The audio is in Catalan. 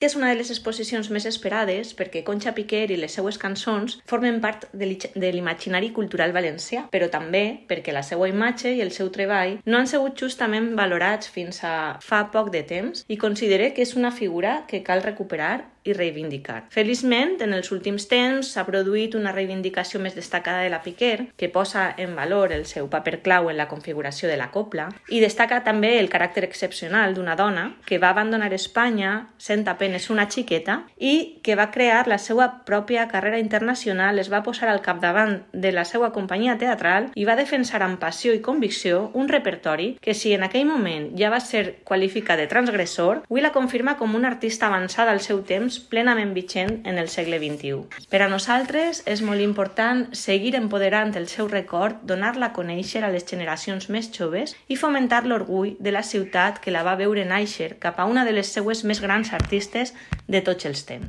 que és una de les exposicions més esperades perquè Conxa Piquer i les seues cançons formen part de l'imaginari cultural valencià, però també perquè la seva imatge i el seu treball no han sigut justament valorats fins a fa poc de temps i considere que és una figura que cal recuperar i reivindicar. Feliçment, en els últims temps s'ha produït una reivindicació més destacada de la Piquer, que posa en valor el seu paper clau en la configuració de la copla i destaca també el caràcter excepcional d'una dona que va abandonar Espanya sent apenes una xiqueta i que va crear la seva pròpia carrera internacional, es va posar al capdavant de la seva companyia teatral i va defensar amb passió i convicció un repertori que, si en aquell moment ja va ser qualificat de transgressor, avui la confirma com una artista avançada al seu temps plenament vigent en el segle XXI. Per a nosaltres és molt important seguir empoderant el seu record, donar-la a conèixer a les generacions més joves i fomentar l'orgull de la ciutat que la va veure nàixer cap a una de les seues més grans artistes de tots els temps.